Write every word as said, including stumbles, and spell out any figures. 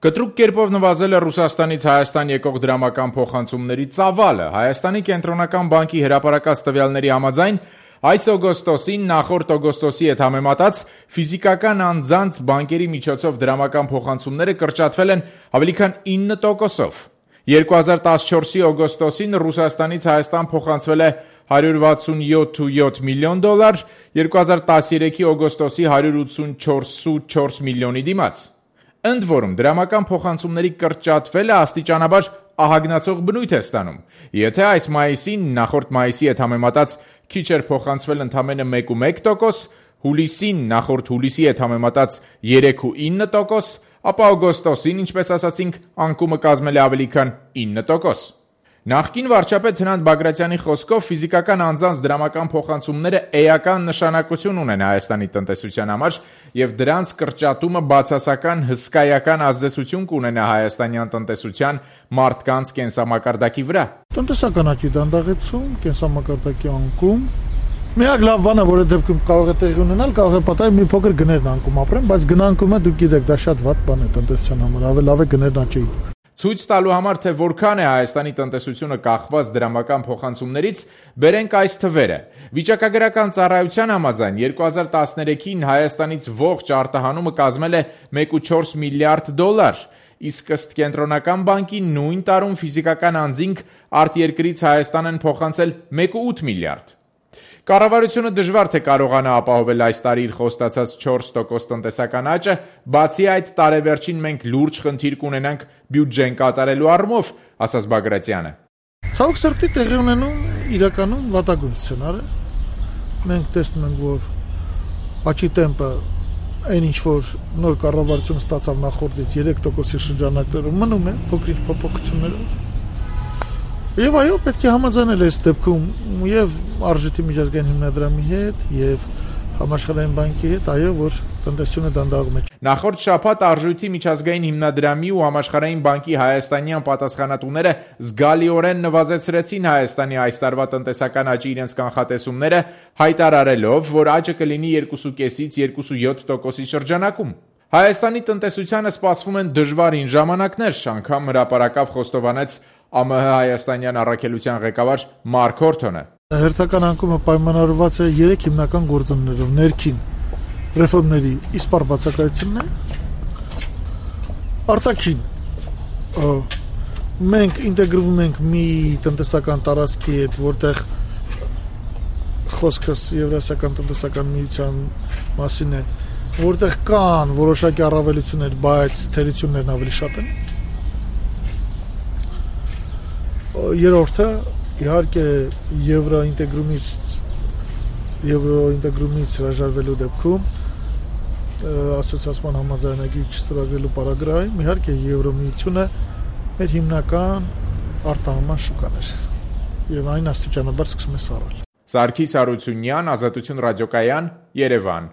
Կտրուկ կերպով նվազել է Ռուսաստանից Հայաստան եկող դրամական փոխանցումների ծավալը։ Հայաստանի կենտրոնական բանկի հրապարակած տվյալների համաձայն այս օգոստոսին նախորդ օգոստոսի հետ համեմատած ֆիզիկական անձանց բանկերի միջոցով դրամական փոխանցումները կրճատվել են ավելի քան ինը տոկոսով։ երկու հազար տասնչորսի օգոստոսին Ռուսաստանից Հայաստան փոխանցվել է հարյուր վաթսունյոթ կόμμα յոթ միլիոն դոլար, երկու հազար տասներեքի օգոստոսի հարյուր ութսունչորս կόμma չորս միլիոնի դիմաց։ Ընդ որում, դրամական փոխանցումների կրճատվելը աստիճանաբար ահագնացող բնույթ է ստանում։ Եթե այս մայիսին նախորդ մայիսի հետ համեմատած քիչ էր փոխանցվել ընդամենը մեկ կόμma մեկ տոկոս, հուլիսին նախորդ հուլիսի հետ համեմատած երեք կόμma ինը տոկոս, ապա օգոստոսին, ինչպես ասացինք, անկումը կազմել է ավելի քան ինը տոկոս։ Նախկին վարչապետ Հրանտ Բագրատյանի խոսքով ֆիզիկական անձանց դրամական փոխանցումները էական նշանակություն ունեն Հայաստանի տնտեսության համար եւ դրանց կրճատումը բացասական հսկայական ազդեցություն կունենա հայաստանյան տնտեսության մարդկանց կենսամակարդակի վրա։ Տնտեսական աճի դանդաղեցում, կենսամակարդակի անկում, միակ լավ բանը, որը դեպքում կարող է տեղի ունենալ, կարող է պատահել մի փոքր գներն անկում ապրեն, բայց գնանկումը դուք գիտեք, դա շատ վատ բան է տնտեսության համար, ավելի լավ է գներն աճեին։ Ցույց տալու համար, թե որքան է Հայաստանի տնտեսությունը կախված դրամական փոխանցումներից, բերենք այս թվերը։ Վիճակագրական ծառայության համաձայն երկու հազար տասներեքին Հայաստանից ողջ արտահանումը կազմել է մեկ կόμma չորս միլիարդ դոլար, իսկ ըստ կենտրոնական բանկի նույն տարում ֆիզիկական անձինք արտերկրից Հայաստան են փոխանցել մեկ կόμma ութ միլիարդ։ Կառավարությունը դժվար թե կարողանա ապահովել այս տարի իր խոստացած չորս տոկոս տնտեսական աճը, բացի այդ տարեվերջին մենք լուրջ խնդիր կունենանք բյուջեն կատարելու առումով, ասաց Բագրատյանը։ Ցավոք սրտի տեղի ունենում իրականում վատագույն սցենար է։ Մենք տեսնում ենք, որ աճի տեմպը այն ինչ որ նոր կառավարությունը ստացավ նախորդից երեք տոկոսի շրջանակներում մնում է փոքրիկ փոփոխություններով։ Եվ այո, պետք է համաձայնել այս դեպքում եւ արժույթի միջազգային հիմնադրամի հետ եւ համաշխարհային բանկի հետ, այո, որ տնտեսությունը դանդաղում է։ Նախորդ շաբաթ արժույթի միջազգային հիմնադրամի ու համաշխարհային բանկի հայաստանյան պատասխանատուները զգալիորեն նվազեցրեցին Հայաստանի այս տարվա տնտեսական աճի իրենց կանխատեսումները, հայտարարելով, որ աճը կլինի երկու կόμma պենսից երկու կόμma յոթ տոկոսի շրջանակում։ Հայաստանի տնտեսությանը սպասվում են դժվարին ժամանակներ, անգամ հրապարակավ խոստովանեց ԱՄՀ հայաստանյան առաքելության ղեկավար Մարկ Հորթոնը։ Հերթական անկումը պայմանավորված է երեք հիմնական գործոններով՝ ներքին ռեֆորմների իսպառ բացակայությունն է, արտաքին մենք ինտեգրվում ենք մի տնտեսական տարածքի հետ, որտեղ խոսքս Եվրասիական տնտեսական միության մասին է, որտեղ կան որոշակի առավելություններ, բայց թերություններն ավելի շատ են։ Երրորդը իհարկե եվրոինտեգրումից եվրոինտեգրումից հրաժարվելու դեպքում ասոցիացիան համաձայնագրի չստորագրելու պարագայում իհարկե Եվրոմիությունը մեր հիմնական արտահանման շուկան էր եւ այն աստիճանաբար սկսում է սառել։ Սարգիս Հարությունյան, Ազատություն ռադիոկայան, Երևան։